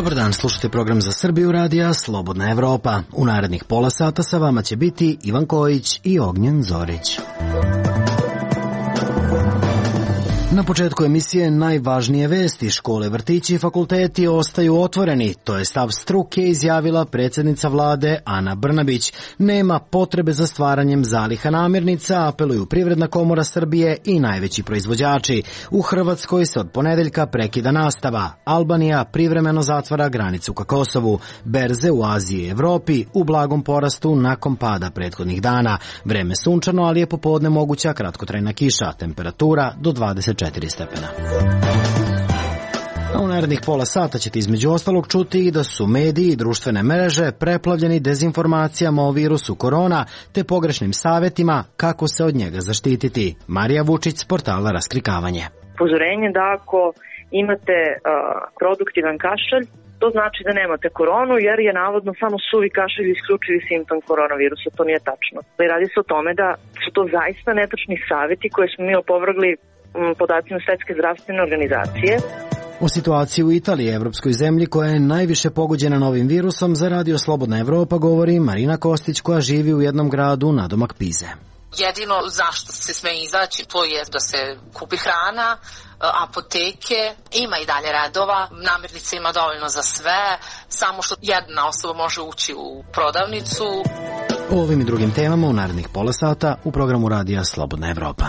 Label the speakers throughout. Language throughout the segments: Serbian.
Speaker 1: Dobar dan, slušate program za Srbiju radija Slobodna Evropa. U narednih pola sata sa vama će biti Ivan Kojić i Ognjen Zorić. Na početku emisije najvažnije vesti. Škole, vrtići i fakulteti ostaju otvoreni. To je stav struke, izjavila predsjednica vlade Ana Brnabić. Nema potrebe za stvaranjem zaliha namirnica, apeluju Privredna komora Srbije i najveći proizvođači. U Hrvatskoj se od ponedeljka prekida nastava. Albanija privremeno zatvara granicu ka Kosovu. Berze u Aziji i Evropi u blagom porastu nakon pada prethodnih dana. Vreme sunčano, ali je popodne moguća kratkotrajna kiša. Temperatura do 24 stepena. A u narednih pola sata ćete između ostalog čuti i da su mediji i društvene mreže preplavljeni dezinformacijama o virusu korona te pogrešnim savjetima kako se od njega zaštititi. Marija Vučić s portala Raskrikavanje.
Speaker 2: Upozorenje da ako imate produktivan kašalj, to znači da nemate koronu, jer je navodno samo suvi kašalj isključivi simptom koronavirusa. To nije tačno. Radi se o tome da su to zaista netačni savjeti koje smo mi opovrgli podacima Svetske zdravstvene organizacije.
Speaker 1: O situaciji u Italiji, evropskoj zemlji koja je najviše pogođena novim virusom, za Radio Slobodna Evropa govori Marina Kostić koja živi u jednom gradu nadomak Pize.
Speaker 3: Jedino zašto se sme izaći, to je da se kupi hrana, apoteke, ima i dalje redova, namirnica ima dovoljno za sve, samo što jedna osoba može ući u prodavnicu.
Speaker 1: O ovim i drugim temama u narednih pola sata u programu Radija Slobodna Evropa.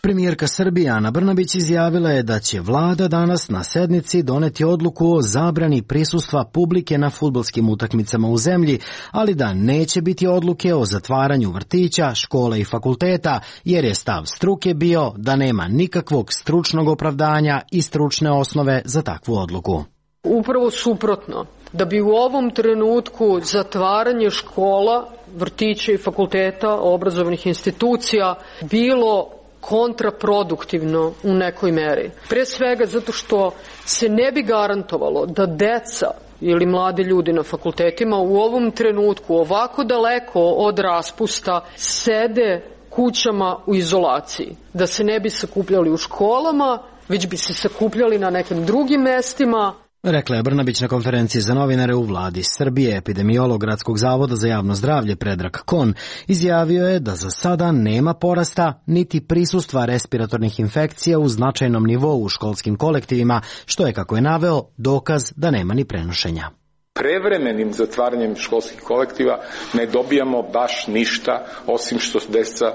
Speaker 1: Premijerka Srbije Ana Brnabić izjavila je da će vlada danas na sednici doneti odluku o zabrani prisustva publike na fudbalskim utakmicama u zemlji, ali da neće biti odluke o zatvaranju vrtića, škola i fakulteta, jer je stav struke bio da nema nikakvog stručnog opravdanja i stručne osnove za takvu odluku.
Speaker 4: Upravo suprotno, da bi u ovom trenutku zatvaranje škola, vrtića i fakulteta, obrazovnih institucija bilo kontraproduktivno u nekoj meri. Pre svega zato što se ne bi garantovalo da deca ili mladi ljudi na fakultetima u ovom trenutku ovako daleko od raspusta sede kućama u izolaciji. Da se ne bi sakupljali u školama, već bi se sakupljali na nekim drugim mestima.
Speaker 1: Rekla je Brnabić na konferenciji za novinare u vladi Srbije. Epidemiolog Gradskog zavoda za javno zdravlje Predrag Kon izjavio je da za sada nema porasta niti prisustva respiratornih infekcija u značajnom nivou u školskim kolektivima, što je, kako je naveo, dokaz da nema ni prenošenja.
Speaker 5: Prevremenim zatvaranjem školskih kolektiva ne dobijamo baš ništa, osim što deca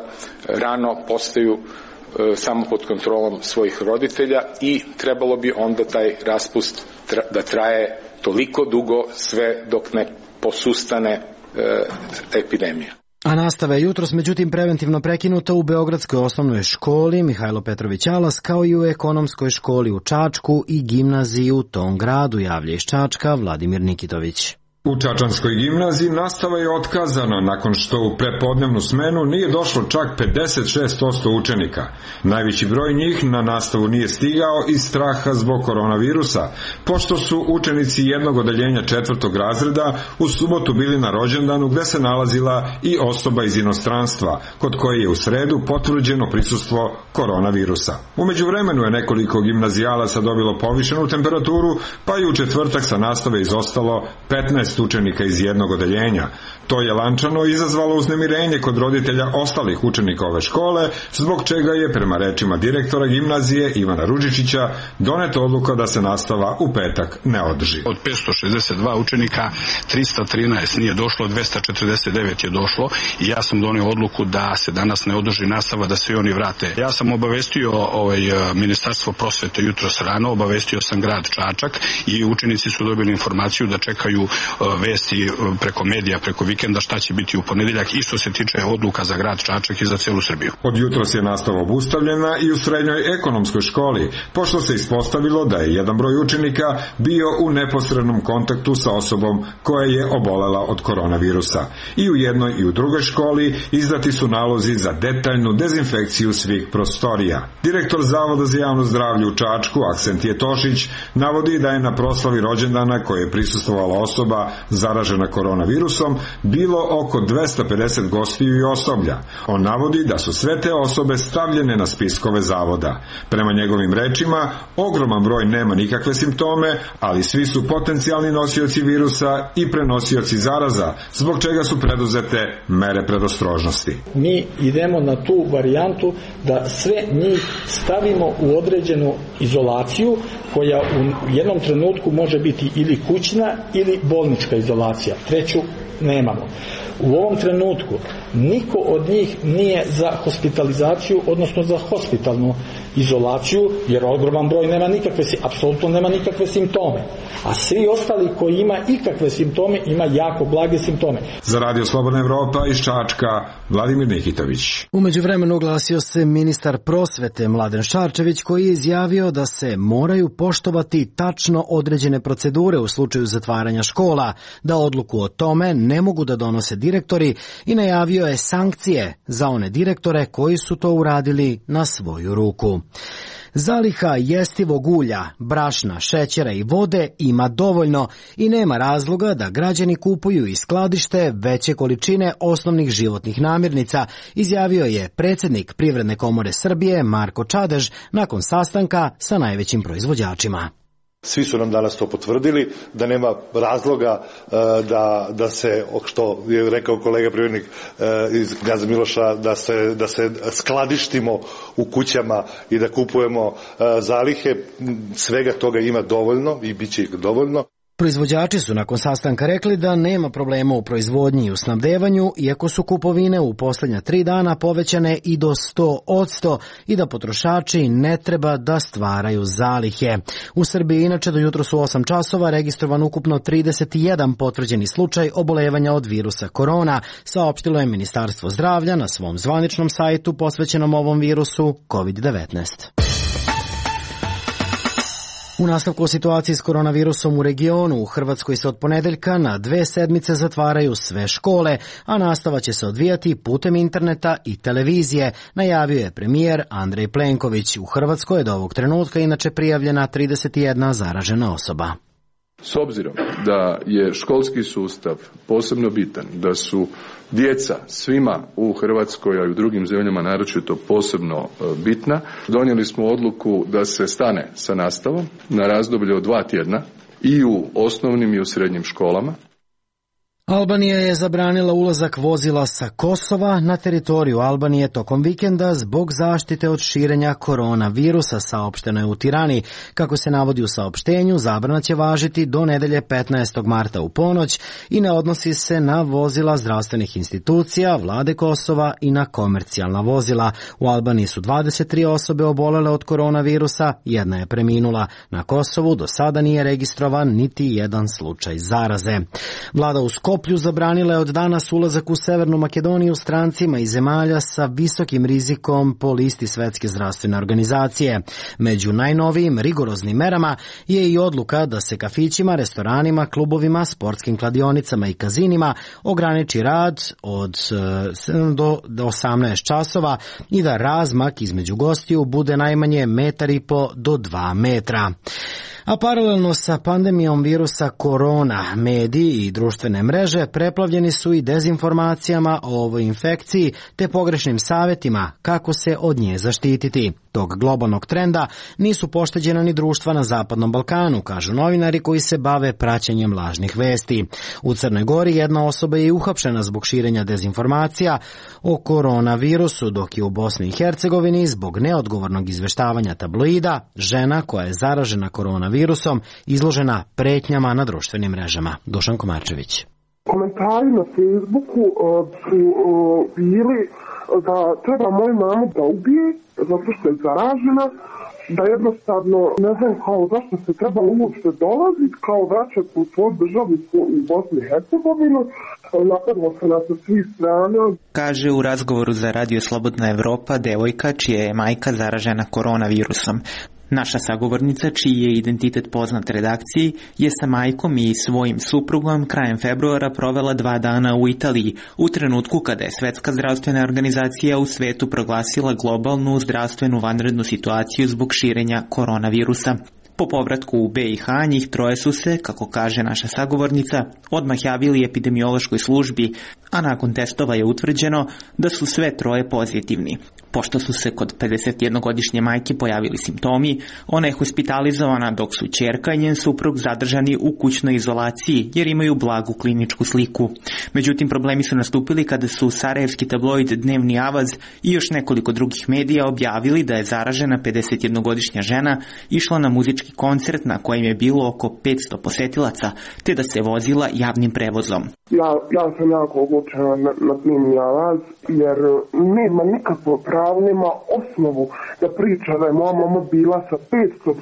Speaker 5: rano postaju samo pod kontrolom svojih roditelja i trebalo bi onda taj raspust da traje toliko dugo sve dok ne posustane epidemija.
Speaker 1: A nastava je jutros međutim preventivno prekinuta u Beogradskoj osnovnoj školi Mihajlo Petrović Alas, kao i u ekonomskoj školi u Čačku i gimnaziji u tom gradu, javlja iz Čačka Vladimir Nikitović.
Speaker 6: U Čačanskoj gimnaziji nastava je otkazana nakon što u prepodnevnu smenu nije došlo čak 56% učenika. Najveći broj njih na nastavu nije stigao iz straha zbog koronavirusa, pošto su učenici jednog odeljenja 4. razreda u subotu bili na rođendanu gde se nalazila i osoba iz inostranstva, kod koje je u sredu potvrđeno prisustvo koronavirusa. U međuvremenu je nekoliko gimnazijalaca dobilo povišenu temperaturu, pa i u četvrtak sa nastave izostalo 15 učenika iz jednog odeljenja. To je lančano izazvalo uznemirenje kod roditelja ostalih učenika ove škole, zbog čega je, prema rečima direktora gimnazije Ivana Ružičića, doneta odluka da se nastava u petak ne održi.
Speaker 7: Od 562 učenika 313 nije došlo, 249 je došlo i ja sam donio odluku da se danas ne održi nastava, da se oni vrate. Ja sam obavestio Ministarstvo prosvete jutros rano, obavestio sam grad Čačak i učenici su dobili informaciju da čekaju vesti preko medija, preko vikenda šta će biti u ponedeljak i što se tiče odluka za grad Čačak i za celu Srbiju.
Speaker 6: Od jutros je nastava obustavljena i u srednjoj ekonomskoj školi, pošto se ispostavilo da je jedan broj učenika bio u neposrednom kontaktu sa osobom koja je obolela od koronavirusa. I u jednoj i u drugoj školi izdati su nalozi za detaljnu dezinfekciju svih prostorija. Direktor Zavoda za javno zdravlje u Čačku, Aksentije Tošić, navodi da je na proslavi rođendana koje je prisustvovala osoba zaražena koronavirusom bilo oko 250 gostiju i osoblja. On navodi da su sve te osobe stavljene na spiskove zavoda. Prema njegovim rečima, ogroman broj nema nikakve simptome, ali svi su potencijalni nosioci virusa i prenosioci zaraza, zbog čega su preduzete mere predostrožnosti.
Speaker 8: Mi idemo na tu varijantu da sve njih stavimo u određenu izolaciju koja u jednom trenutku može biti ili kućna ili bolnička izolacija. Treću nemamo. U ovom trenutku niko od njih nije za hospitalizaciju, odnosno za hospitalnu izolaciju, jer ogroman broj nema apsolutno nema nikakve simptome. A svi ostali koji ima ikakve simptome, ima jako blage simptome.
Speaker 6: Za Radio Slobodna Evropa iz Čačka, Vladimir Nikitović.
Speaker 1: U međuvremenu oglasio se ministar prosvete Mladen Šarčević, koji je izjavio da se moraju poštovati tačno određene procedure u slučaju zatvaranja škola, da odluku o tome ne mogu da donose direktori i najavio je sankcije za one direktore koji su to uradili na svoju ruku. Zaliha jestivog ulja, brašna, šećera i vode ima dovoljno i nema razloga da građani kupuju iz skladište veće količine osnovnih životnih namirnica, izjavio je predsjednik Privredne komore Srbije Marko Čadež nakon sastanka sa najvećim proizvođačima.
Speaker 9: Svi su nam danas to potvrdili, da nema razloga da se, što je rekao kolega privrednik iz Knjaza Miloša, da se skladištimo u kućama i da kupujemo zalihe. Svega toga ima dovoljno i bit će ih dovoljno.
Speaker 1: Proizvođači su nakon sastanka rekli da nema problema u proizvodnji i u snabdevanju, iako su kupovine u posljednja 3 dana povećane i do 100% i da potrošači ne treba da stvaraju zalihe. U Srbiji inače do jutro su 8 časova registrovan ukupno 31 potvrđeni slučaj obolevanja od virusa korona, saopštilo je Ministarstvo zdravlja na svom zvaničnom sajtu posvećenom ovom virusu COVID-19. U nastavku o situaciji s koronavirusom u regionu, u Hrvatskoj se od ponedeljka na 2 sedmice zatvaraju sve škole, a nastava će se odvijati putem interneta i televizije, najavio je premijer Andrej Plenković. U Hrvatskoj je do ovog trenutka inače prijavljena 31 zaražena osoba.
Speaker 10: S obzirom da je školski sustav posebno bitan, da su djeca svima u Hrvatskoj, a i u drugim zemljama naročito posebno bitna, donijeli smo odluku da se stane sa nastavom na razdoblje od 2 tjedna i u osnovnim i u srednjim školama.
Speaker 1: Albanija je zabranila ulazak vozila sa Kosova na teritoriju Albanije tokom vikenda zbog zaštite od širenja koronavirusa, saopšteno je u Tirani. Kako se navodi u saopštenju, zabrana će važiti do nedelje 15. marta u ponoć i ne odnosi se na vozila zdravstvenih institucija, vlade Kosova i na komercijalna vozila. U Albaniji su 23 osobe obolele od koronavirusa, 1 je preminula. Na Kosovu do sada nije registrovan niti jedan slučaj zaraze. Vlada u Skoplju zabranila je od danas ulazak u Severnu Makedoniju strancima iz zemalja sa visokim rizikom po listi Svetske zdravstvene organizacije. Među najnovijim rigoroznim merama je i odluka da se kafićima, restoranima, klubovima, sportskim kladionicama i kazinima ograniči rad od 7 do 18 časova i da razmak između gostiju bude najmanje 1,5 do 2 metra. A paralelno sa pandemijom virusa korona, mediji i društvene mreže preplavljeni su i dezinformacijama o ovoj infekciji te pogrešnim savjetima kako se od nje zaštititi. Tog globalnog trenda nisu pošteđena ni društva na Zapadnom Balkanu, kažu novinari koji se bave praćenjem lažnih vesti. U Crnoj Gori jedna osoba je uhapšena zbog širenja dezinformacija o koronavirusu, dok je u Bosni i Hercegovini zbog neodgovornog izveštavanja tabloida žena koja je zaražena koronavirusom izložena pretnjama na društvenim mrežama. Dušan Komarčević.
Speaker 11: Komentari na Facebooku su bili da treba moju mamu da ubije zato što je zaražena, da jednostavno ne znam kao zašto se trebalo uopšte dolaziti, kao vraćati u svoju državu u Bosnu i Hercegovinu. Napadlo se na svih strana.
Speaker 12: Kaže u razgovoru za Radio Slobodna Evropa devojka čija je majka zaražena koronavirusom. Naša sagovornica, čiji je identitet poznat redakciji, je sa majkom i svojim suprugom krajem februara provela 2 dana u Italiji, u trenutku kada je Svetska zdravstvena organizacija u svetu proglasila globalnu zdravstvenu vanrednu situaciju zbog širenja koronavirusa. Po povratku u BiH njih troje su se, kako kaže naša sagovornica, odmah javili epidemiološkoj službi, a nakon testova je utvrđeno da su sve troje pozitivni. Pošto su se kod 51-godišnje majke pojavili simptomi, ona je hospitalizovana dok su ćerka i njen suprug zadržani u kućnoj izolaciji jer imaju blagu kliničku sliku. Međutim, problemi su nastupili kada su sarajevski tabloid Dnevni Avaz i još nekoliko drugih medija objavili da je zaražena 51-godišnja žena išla na muzički koncert na kojem je bilo oko 500 posetilaca, te da se vozila javnim prevozom.
Speaker 11: Ja sam jako ogorčena na Dnevni Avaz jer nema nikakvo pravo, nema osnovu da priča da je moja mama bila sa 500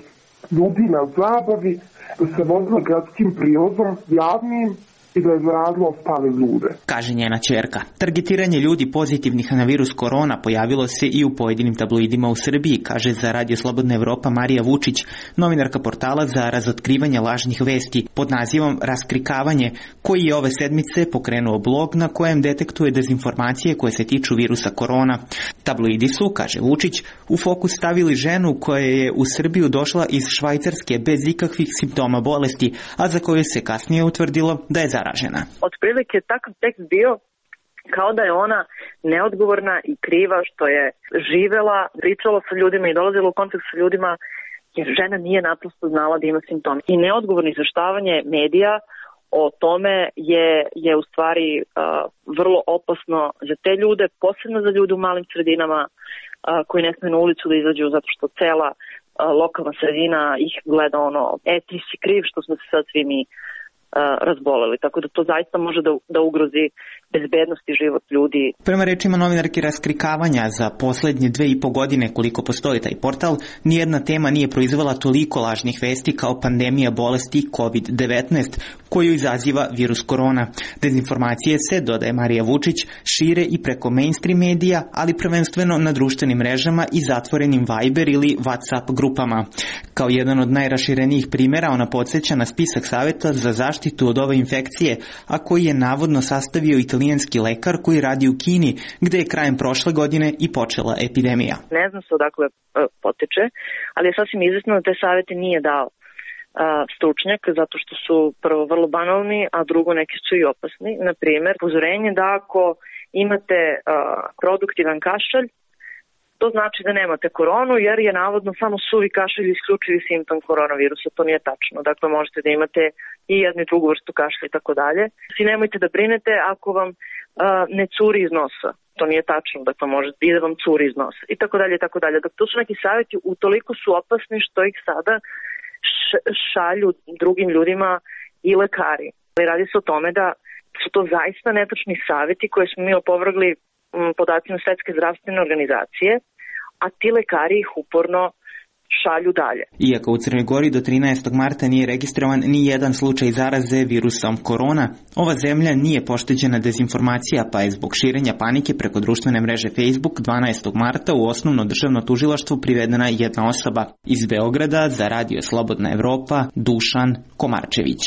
Speaker 11: ljudi na zabavi, da se vozila gradskim prijevozom javnim i da je zarazilo ostale ljude,
Speaker 12: kaže njena ćerka. Targetiranje ljudi pozitivnih na virus korona pojavilo se i u pojedinim tabloidima u Srbiji, kaže za Radio Slobodna Evropa Marija Vučić, novinarka portala za razotkrivanje lažnih vesti pod nazivom Raskrikavanje, koji je ove sedmice pokrenuo blog na kojem detektuje dezinformacije koje se tiču virusa korona. Tabloidi su, kaže Vučić, u fokus stavili ženu koja je u Srbiju došla iz Švajcarske bez ikakvih simptoma bolesti, a za koju se kasnije utvrdilo da je zaražena.
Speaker 2: Otprilike takav tekst bio kao da je ona neodgovorna i kriva što je živela, pričala sa ljudima i dolazila u kontakt sa ljudima jer žena nije naprosto znala da ima simptome. I neodgovorno izveštavanje medija o tome je u stvari vrlo opasno za te ljude, posebno za ljude u malim sredinama koji ne smiju na ulicu da izađu zato što cela lokalna sredina ih gleda ti si kriv što smo se sad svi mi razboleli, tako da to zaista može da ugrozi bezbednost i život ljudi.
Speaker 12: Prema rečima novinarke Raskrikavanja, za poslednje 2,5 godine koliko postoji taj portal, nijedna tema nije proizvela toliko lažnih vesti kao pandemija bolesti COVID-19, koju izaziva virus korona. Dezinformacije se, dodaje Marija Vučić, šire i preko mainstream medija, ali prvenstveno na društvenim mrežama i zatvorenim Viber ili WhatsApp grupama. Kao jedan od najraširenijih primjera, ona podsjeća na spisak savjeta za zaštitu od ove infekcije, a koji je navodno sastavio italijanski lekar koji radi u Kini, gde je krajem prošle godine i počela epidemija.
Speaker 2: Ne znam se odakle poteče, ali je sasvim izvesno da te savjete nije dao stručnjak, zato što su prvo vrlo banalni, a drugo neki su i opasni. Na primjer, upozorenje da ako imate produktivan kašalj, to znači da nemate koronu, jer je navodno samo suvi kašalj isključivi simptom koronavirusa. To nije tačno. Dakle, možete da imate i jednu i drugu vrstu kašlja i tako dalje. I nemojte da brinete ako vam ne curi iz nosa. To nije tačno. Dakle, možete i da vam curi iz nosa. I tako dalje, i tako dalje. Dakle, to su neki savjeti, utoliko su opasni što ih sada šalju drugim ljudima i lekari. Radi se o tome da su to zaista netačni savjeti koje smo mi opovrgli podacima Svetske zdravstvene organizacije, a ti lekari ih uporno šalju dalje.
Speaker 12: Iako u Crnoj Gori do 13. marta nije registrovan ni jedan slučaj zaraze virusom korona, ova zemlja nije pošteđena dezinformacija, pa je zbog širenja panike preko društvene mreže Facebook 12. marta u osnovno državno tužilaštvo privedena jedna osoba. Iz Beograda za Radio Slobodna Evropa, Dušan Komarčević.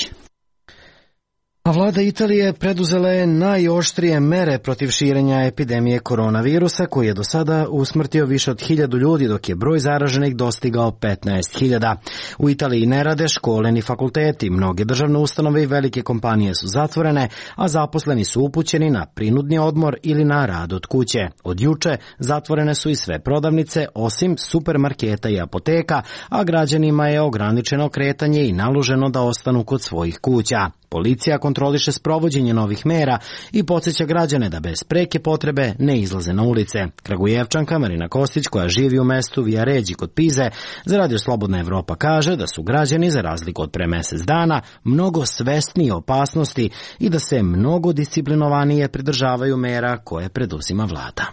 Speaker 1: A vlada Italije preduzela je najoštrije mere protiv širenja epidemije koronavirusa, koji je do sada usmrtio više od 1000 ljudi, dok je broj zaraženih dostigao 15.000. U Italiji ne rade škole ni fakulteti, mnoge državne ustanove i velike kompanije su zatvorene, a zaposleni su upućeni na prinudni odmor ili na rad od kuće. Od juče zatvorene su i sve prodavnice, osim supermarketa i apoteka, a građanima je ograničeno kretanje i naloženo da ostanu kod svojih kuća. Policija kontroliše sprovođenje novih mera i podsjeća građane da bez preke potrebe ne izlaze na ulice. Kragujevčanka Marina Kostić, koja živi u mestu Viaređi kod Pize, za Radio Slobodna Evropa kaže da su građani, za razliku od pre mesec dana, mnogo svesniji opasnosti i da se mnogo disciplinovanije pridržavaju mera koje preduzima vlada.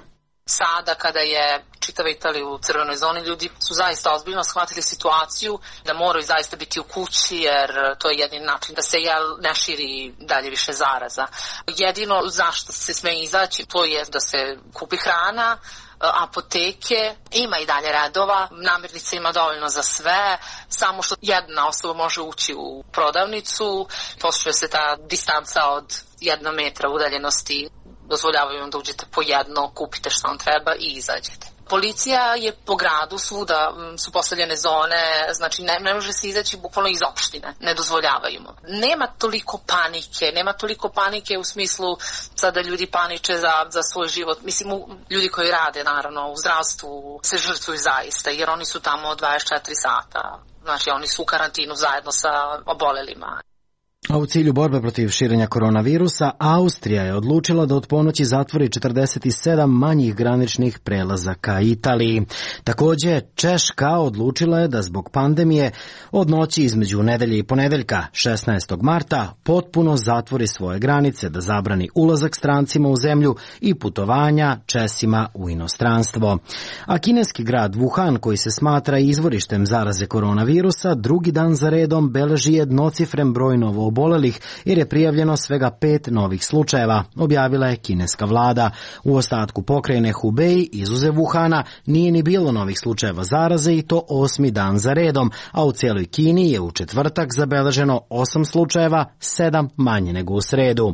Speaker 3: Sada kada je čitava Italija u crvenoj zoni, ljudi su zaista ozbiljno shvatili situaciju da moraju zaista biti u kući jer to je jedini način da se ne širi dalje više zaraza. Jedino zašto se sme izaći to je da se kupi hrana, apoteke, ima i dalje redova, namirnica ima dovoljno za sve, samo što jedna osoba može ući u prodavnicu, poštuje se ta distanca od 1 metra udaljenosti, dozvoljavaju vam da uđete po jedno, kupite što vam treba i izađete. Policija je po gradu, svuda su postavljene zone, znači ne može se izaći bukvalno iz opštine, ne dozvoljavaju mu. Nema toliko panike u smislu sada ljudi paniče za svoj život. Mislim, ljudi koji rade naravno u zdravstvu se žrtvuju zaista, jer oni su tamo 24 sata, znači oni su u karantinu zajedno sa obolelima.
Speaker 1: A u cilju borbe protiv širenja koronavirusa, Austrija je odlučila da od ponoći zatvori 47 manjih graničnih prelaza ka Italiji. Također, Češka odlučila je da zbog pandemije od noći između nedelje i ponedeljka 16. marta potpuno zatvori svoje granice, da zabrani ulazak strancima u zemlju i putovanja Česima u inostranstvo. A kineski grad Wuhan, koji se smatra izvorištem zaraze koronavirusa, drugi dan za redom beleži jednocifren broj novoobolelih jer je prijavljeno svega 5 novih slučajeva, objavila je kineska vlada. U ostatku pokrajine Hubei, izuzev Wuhana, nije ni bilo novih slučajeva zaraze i to 8. dan za redom, a u cijeloj Kini je u četvrtak zabeleženo 8 slučajeva, 7 manje nego u sredu.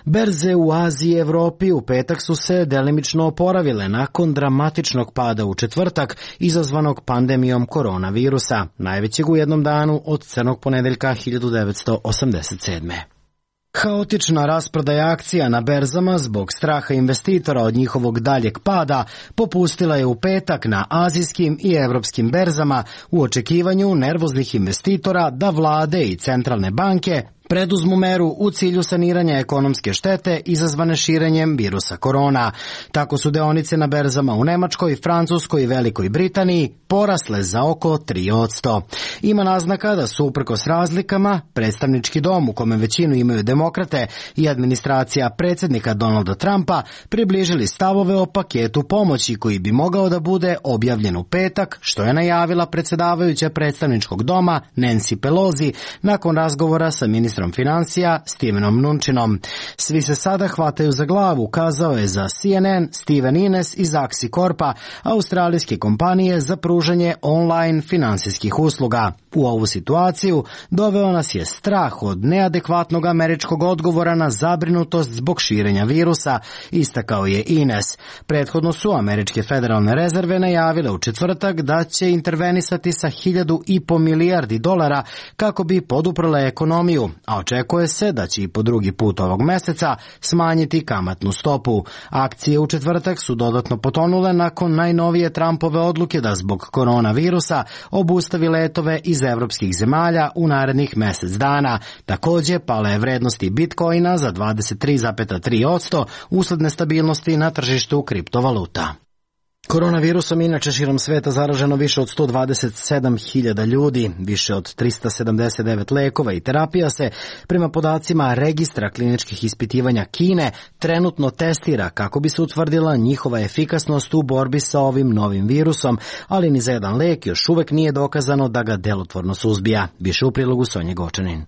Speaker 1: Berze u Aziji i Evropi u petak su se delimično oporavile nakon dramatičnog pada u četvrtak izazvanog pandemijom koronavirusa, najvećeg u jednom danu od crnog ponedeljka 1987. Haotična rasprodaja akcija na berzama zbog straha investitora od njihovog daljeg pada popustila je u petak na azijskim i evropskim berzama u očekivanju nervoznih investitora da vlade i centralne banke preduzmu meru u cilju saniranja ekonomske štete izazvane širenjem virusa korona. Tako su deonice na berzama u Nemačkoj, Francuskoj i Velikoj Britaniji porasle za oko 3%. Ima naznaka da su uprkos razlikama predstavnički dom, u kome većinu imaju demokrate, i administracija predsjednika Donalda Trumpa približili stavove o paketu pomoći koji bi mogao da bude objavljen u petak, što je najavila predsjedavajuća predstavničkog doma Nancy Pelosi nakon razgovora sa ministrom financija Stevenom Mnučinom. Svi se sada hvataju za glavu, kazao je za CNN Steven Ines iz Axi Corpa, australijske kompanije za pružanje online finansijskih usluga. U ovu situaciju doveo nas je strah od neadekvatnog američkog odgovora na zabrinutost zbog širenja virusa, istakao je Ines. Prethodno su američke federalne rezerve najavile u četvrtak da će intervenisati sa $1,5 milijardi kako bi poduprle ekonomiju, a očekuje se da će i po drugi put ovog meseca smanjiti kamatnu stopu. Akcije u četvrtak su dodatno potonule nakon najnovije Trumpove odluke da zbog koronavirusa obustavi letove iz evropskih zemalja u narednih mjesec dana. Također pala je vrednosti Bitcoina za 23,3% usled nestabilnosti na tržištu kriptovaluta. Koronavirusom inače širom sveta zaraženo više od 127.000 ljudi, više od 379 lekova i terapija se, prema podacima registra kliničkih ispitivanja Kine, trenutno testira kako bi se utvrdila njihova efikasnost u borbi sa ovim novim virusom, ali ni za jedan lek još uvek nije dokazano da ga delotvorno suzbija. Više u prilogu Sonje Gočanin.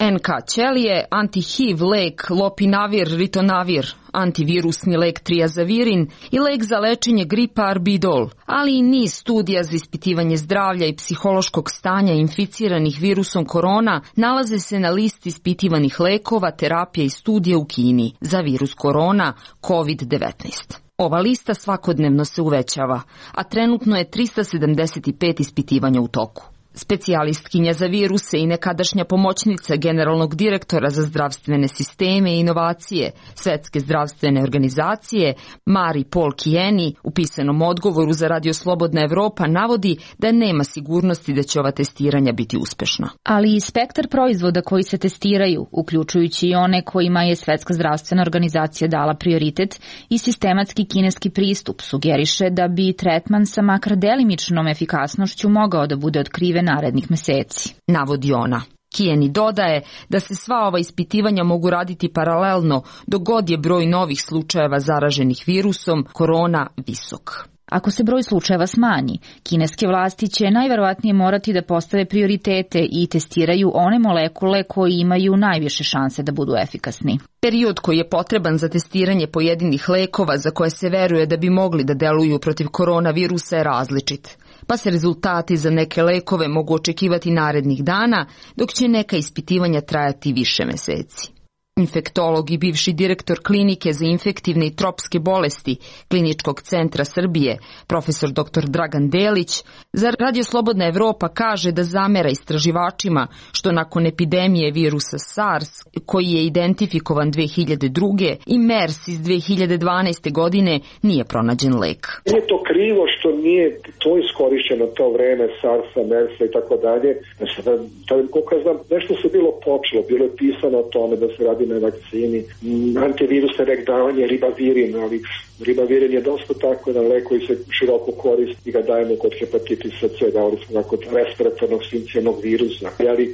Speaker 13: NK ćelije, anti-HIV lek Lopinavir, Ritonavir, antivirusni lek Triazavirin i lek za lečenje gripa Arbidol, ali i niz studija za ispitivanje zdravlja i psihološkog stanja inficiranih virusom korona nalaze se na listi ispitivanih lekova, terapija i studija u Kini za virus korona COVID-19. Ova lista svakodnevno se uvećava, a trenutno je 375 ispitivanja u toku. Specijalistkinja za viruse i nekadašnja pomoćnica generalnog direktora za zdravstvene sisteme i inovacije Svetske zdravstvene organizacije Mari Paul Kijeni u pisanom odgovoru za Radio Slobodna Evropa navodi da nema sigurnosti da će ova testiranja biti uspešna.
Speaker 14: Ali i spektar proizvoda koji se testiraju, uključujući i one kojima je Svetska zdravstvena organizacija dala prioritet i sistematski kineski pristup, sugeriše da bi tretman sa makar delimičnom efikasnošću mogao da bude otkriven narednih meseci, navodi ona. Kijeni dodaje da se sva ova ispitivanja mogu raditi paralelno dok god je broj novih slučajeva zaraženih virusom korona visok. Ako se broj slučajeva smanji, kineske vlasti će najverovatnije morati da postave prioritete i testiraju one molekule koji imaju najviše šanse da budu efikasni.
Speaker 13: Period koji je potreban za testiranje pojedinih lekova za koje se veruje da bi mogli da deluju protiv koronavirusa je različit, pa se rezultati za neke lekove mogu očekivati narednih dana, dok će neka ispitivanja trajati više meseci. Infektolog i bivši direktor klinike za infektivne i tropske bolesti Kliničkog centra Srbije, profesor dr. Dragan Delić, za Radio Slobodna Evropa kaže da zamera istraživačima što nakon epidemije virusa SARS, koji je identifikovan 2002. i MERS iz 2012. godine, nije pronađen lek.
Speaker 15: Nije to krivo što nije to iskorišćeno to vreme SARS-a, MERS-a i tako dalje. Koliko ja znam, nešto se bilo počelo, bilo je pisano o tome da se radi na vakcini, antivirusne lek davanje ribavirin, ali ribavirin je dosta tako jedan lek koji se široko koristi i ga dajemo kod hepatitisa C, davali smo kod respiratornog sincijalnog virusa. Ali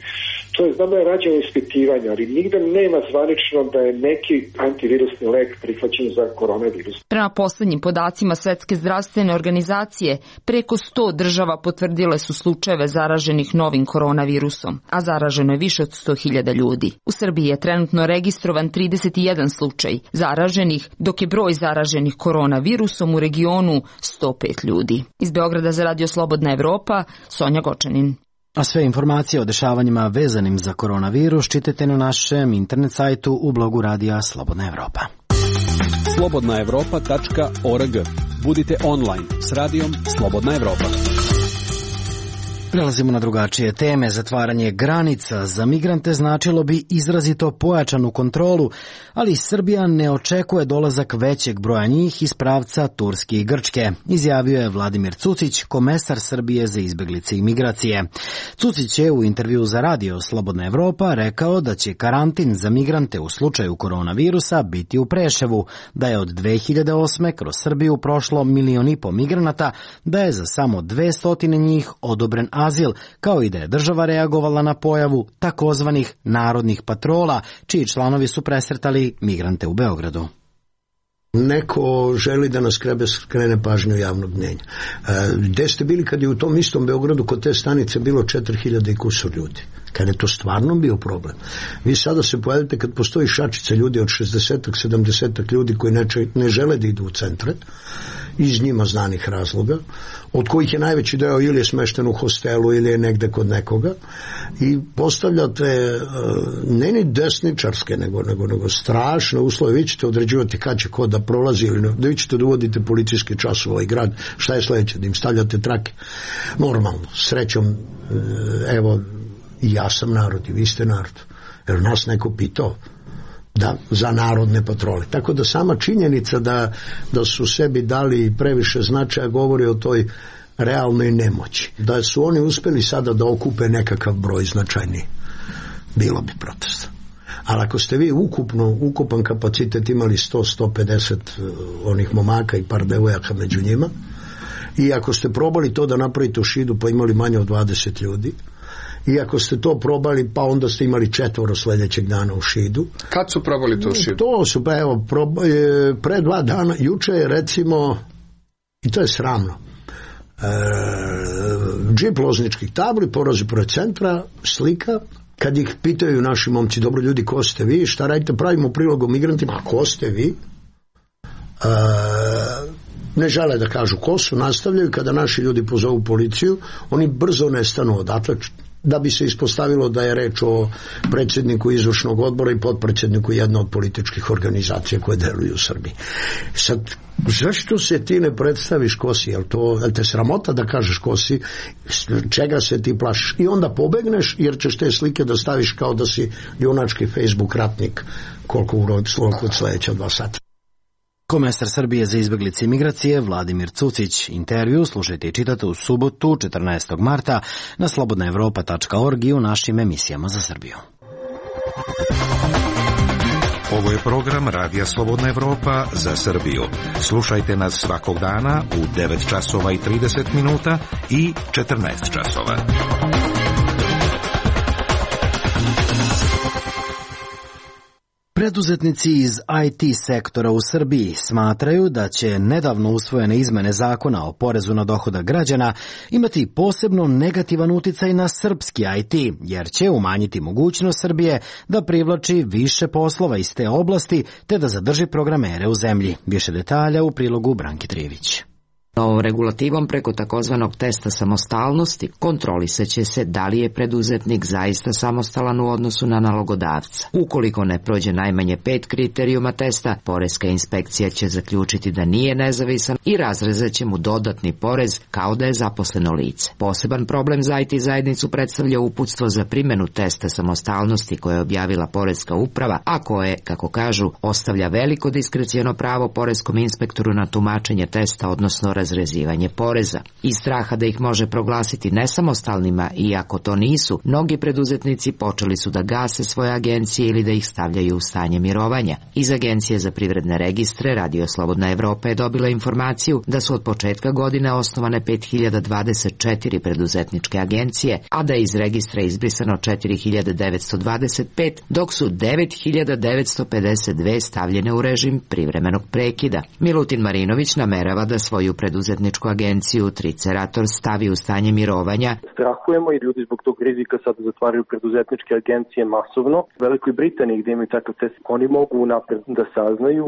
Speaker 15: to je, znam da je rađeno ispitivanja, ali nigde nema zvanično da je neki antivirusni lek prihvaćen za koronavirus.
Speaker 13: Prema poslednjim podacima Svetske zdravstvene organizacije, preko 100 država potvrdile su slučajeve zaraženih novim koronavirusom, a zaraženo je više od 100.000 ljudi. U Srbiji je trenutno registrovan 31 slučaj zaraženih, dok je broj zaraženih koronavirusom u regionu 105 ljudi. Iz Beograda za Radio Slobodna Evropa, Sonja Gočanin.
Speaker 1: A sve informacije o dešavanjima vezanim za koronavirus čitajte na našem internet sajtu u blogu Radija Slobodna Evropa.
Speaker 16: slobodnaevropa.org. Budite online s Radijom Slobodna Evropa.
Speaker 1: Prelazimo na drugačije teme. Zatvaranje granica za migrante značilo bi izrazito pojačanu kontrolu, ali Srbija ne očekuje dolazak većeg broja njih iz pravca Turske i Grčke, izjavio je Vladimir Cucić, komesar Srbije za izbeglice i migracije. Cucić je u intervju za Radio Slobodna Evropa rekao da će karantin za migrante u slučaju koronavirusa biti u Preševu, da je od 2008. kroz Srbiju prošlo 1,5 miliona migranata, da je za samo 200 njih odobren azil, kao i da je država reagovala na pojavu takozvanih narodnih patrola, čiji članovi su presretali migrante u Beogradu.
Speaker 17: Neko želi da nas skrene pažnju javnog mnjenja. Gde ste bili kad je u tom istom Beogradu kod te stanice bilo 4.000 i kusur ljudi? Kad je to stvarno bio problem. Vi sada se pojavite kad postoji šačica ljudi od 60-ak, 70-ak ljudi koji ne žele da idu u centre, iz njima znanih razloga, od kojih je najveći deo ili je smešten u hostelu ili je negde kod nekoga, i postavljate ne ni desničarske, nego strašne uslove. Vi ćete određivati kad će ko da prolazi, ili da vi ćete da uvodite policijski čas u ovaj grad. Šta je sledeće? Da im stavljate trake? Normalno, srećom, evo, i ja sam narod i vi ste narod. Jer nas neko pitao za narodne patrole. Tako da sama činjenica da su sebi dali previše značaja govori o toj realnoj nemoći. Da su oni uspeli sada da okupe nekakav broj značajniji, bilo bi protesta. Ali ako ste vi ukupan kapacitet imali 100-150 onih momaka i par devojaka među njima, i ako ste probali to da napravite u Šidu pa imali manje od 20 ljudi, i ako ste to probali, pa onda ste imali 4 sljedećeg dana u Šidu.
Speaker 10: Kad su probali to u Šidu?
Speaker 17: To su, pa evo, pre 2 dana, juče je recimo, i to je sramno, džip lozničkih tabli, porozi pored centra, slika, kad ih pitaju naši momci, dobro ljudi, ko ste vi, šta radite, pravimo prilog o migrantima, a ko ste vi? Ne žele da kažu ko su, nastavljaju. Kada naši ljudi pozovu policiju, oni brzo nestanu odatle, da bi se ispostavilo da je reč o predsjedniku izvršnog odbora i potpredsjedniku jedne od političkih organizacija koje deluju u Srbiji. Sad, zašto se ti ne predstaviš ko si? Jel te sramota da kažeš ko si? Čega se ti plašiš? I onda pobegneš jer ćeš te slike da staviš kao da si junački Facebook ratnik koliko od sledeća 2 sata.
Speaker 1: Komesar Srbije za izbeglice i migracije Vladimir Cucić. Intervju slušajte i čitate u subotu 14. marta na slobodnaevropa.org i u našim emisijama za Srbiju.
Speaker 18: Ovo je program Radija Slobodna Evropa za Srbiju. Slušajte nas svakog dana u 9 časova i 30 minuta i 14 časova.
Speaker 1: Preduzetnici iz IT sektora u Srbiji smatraju da će nedavno usvojene izmene zakona o porezu na dohodak građana imati posebno negativan uticaj na srpski IT, jer će umanjiti mogućnost Srbije da privlači više poslova iz te oblasti te da zadrži programere u zemlji. Više detalja u prilogu Branki Trivić.
Speaker 19: Novom regulativom preko takozvanog testa samostalnosti kontrolisaće se da li je preduzetnik zaista samostalan u odnosu na nalogodavca. Ukoliko ne prođe najmanje 5 kriterijuma testa, poreska inspekcija će zaključiti da nije nezavisan i razrezat će mu dodatni porez kao da je zaposleno lice. Poseban problem za IT zajednicu predstavlja uputstvo za primjenu testa samostalnosti koje je objavila Poreska uprava, a koje, kako kažu, ostavlja veliko diskreciono pravo poreskom inspektoru na tumačenje testa, odnosno razrezivanje poreza. Iz straha da ih može proglasiti nesamostalnima, iako to nisu, mnogi preduzetnici počeli su da gase svoje agencije ili da ih stavljaju u stanje mirovanja. Iz Agencije za privredne registre Radio Slobodna Evropa je dobila informaciju da su od početka godine osnovane 5024 preduzetničke agencije, a da je iz registra izbrisano 4925, dok su 9952 stavljene u režim privremenog prekida. Milutin Marinović namerava da svoju preduzetničku agenciju Tricerator stavi u stanje mirovanja.
Speaker 20: Strahujemo i ljudi zbog tog rizika sad zatvaraju preduzetničke agencije masovno. U Velikoj Britaniji gdje imaju takav test, oni mogu napred da saznaju,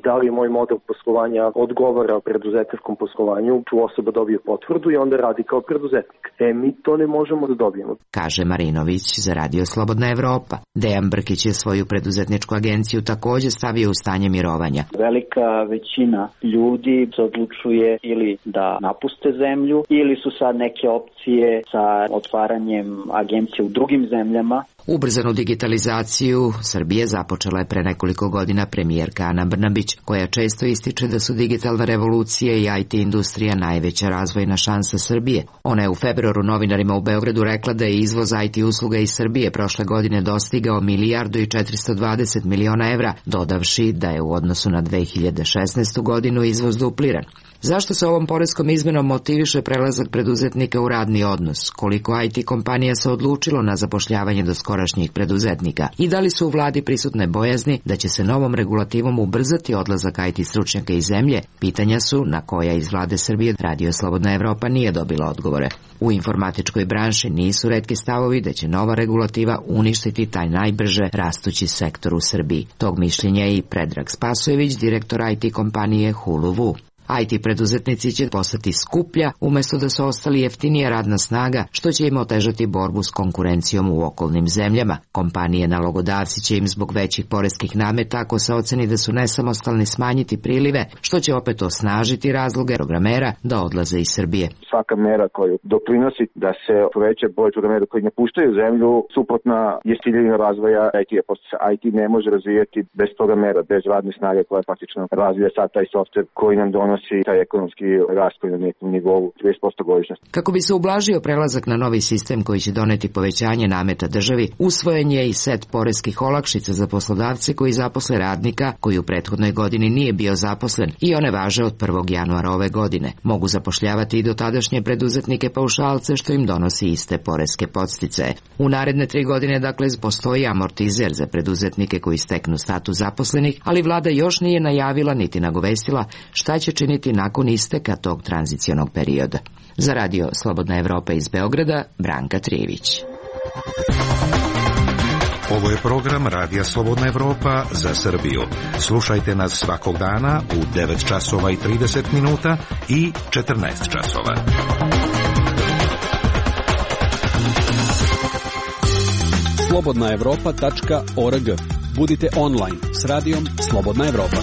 Speaker 20: da li moj model poslovanja odgovara preduzetničkom poslovanju, tu osoba dobije potvrdu i onda radi kao preduzetnik. Mi to ne možemo da dobijemo.
Speaker 19: Kaže Marinović za Radio Slobodna Evropa. Dejan Brkić je svoju preduzetničku agenciju također stavio u stanje mirovanja.
Speaker 21: Velika većina ljudi se odlučuje ili da napuste zemlju ili su sad neke opcije sa otvaranjem agencije u drugim zemljama.
Speaker 19: Ubrzanu digitalizaciju Srbije započela je pre nekoliko godina premijerka Ana Brnabić, koja često ističe da su digitalna revolucija i IT industrija najveća razvojna šansa Srbije. Ona je u februaru novinarima u Beogradu rekla da je izvoz IT usluga iz Srbije prošle godine dostigao 1.420 miliona evra, dodavši da je u odnosu na 2016. godinu izvoz dupliran. Zašto se ovom poreskom izmenom motiviše prelazak preduzetnika u radni odnos? Koliko IT kompanija se odlučilo na zapošljavanje doskorašnjih preduzetnika? I da li su u vladi prisutne bojazni da će se novom regulativom ubrzati odlazak IT stručnjaka iz zemlje? Pitanja su na koja iz vlade Srbije Radio Slobodna Evropa nije dobila odgovore. U informatičkoj branši nisu retki stavovi da će nova regulativa uništiti taj najbrže rastući sektor u Srbiji. Tog mišljenja je i Predrag Spasojević, direktor IT kompanije Huluvu. IT preduzetnici će postati skuplja umjesto da su ostali jeftinija radna snaga, što će im otežati borbu s konkurencijom u okolnim zemljama. Kompanije nalogodavci će im zbog većih poreskih nameta, ako se oceni da su nesamostalni, smanjiti prilive, što će opet osnažiti razloge programera da odlaze iz Srbije.
Speaker 22: Svaka mera koju doprinosi da se poveća broj programera koji napuštaju zemlju, suprotna je ciljanju razvoja IT-a. IT ne može razvijati bez programera, bez radne snage koja faktično razvija sad taj softver koji nam donosi taj ekonomski rast koji na nekom nivou 30% godišnje.
Speaker 19: Kako bi se ublažio prelazak na novi sistem koji će doneti povećanje nameta državi, usvojen je i set poreskih olakšica za poslodavce koji zaposle radnika koji u prethodnoj godini nije bio zaposlen i one važe od 1. januara ove godine. Mogu zapošljavati i dotadašnje preduzetnike paušalce, što im donosi iste poreske podsticaje. U naredne 3 godine, dakle, postoji amortizer za preduzetnike koji steknu status zaposlenih, ali vlada još nije najavila niti nagovestila šta će činiti nakon isteka tog tranzicionog perioda. Za Radio Slobodna Evropa iz Beograda, Branka Trijević.
Speaker 18: Ovo je program Radija Slobodna Evropa za Srbiju. Slušajte nas svakog dana u 9 časova i 30 minuta i 14 časova.
Speaker 16: slobodnaevropa.org. Budite online s radijom Slobodna Evropa.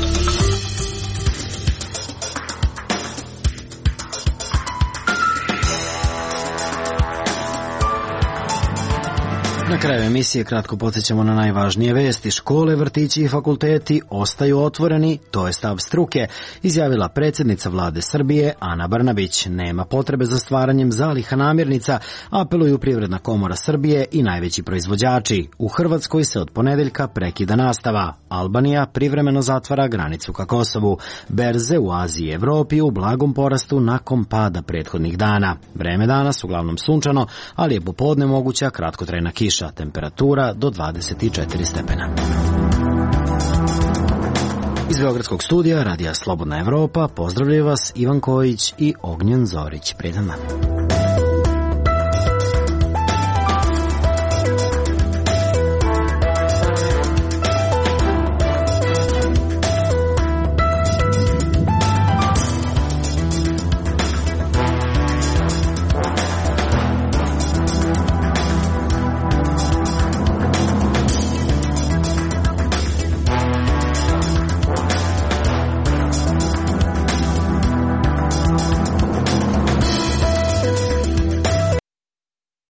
Speaker 1: Na kraju emisije kratko podsjećamo na najvažnije vesti. Škole, vrtići i fakulteti ostaju otvoreni, to je stav struke, izjavila predsjednica vlade Srbije Ana Brnabić. Nema potrebe za stvaranjem zaliha namirnica, apeluju Privredna komora Srbije i najveći proizvođači. U Hrvatskoj se od ponedeljka prekida nastava. Albanija privremeno zatvara granicu ka Kosovu. Berze u Aziji i Evropi u blagom porastu nakon pada prethodnih dana. Vreme danas uglavnom sunčano, ali je popodne moguća kratkotrajna kiša. Temperatura do 24 stepena. Iz Beogradskog studija Radija Slobodna Evropa pozdravljaju vas Ivan Kojić i Ognjen Zorić. Prijetan dan.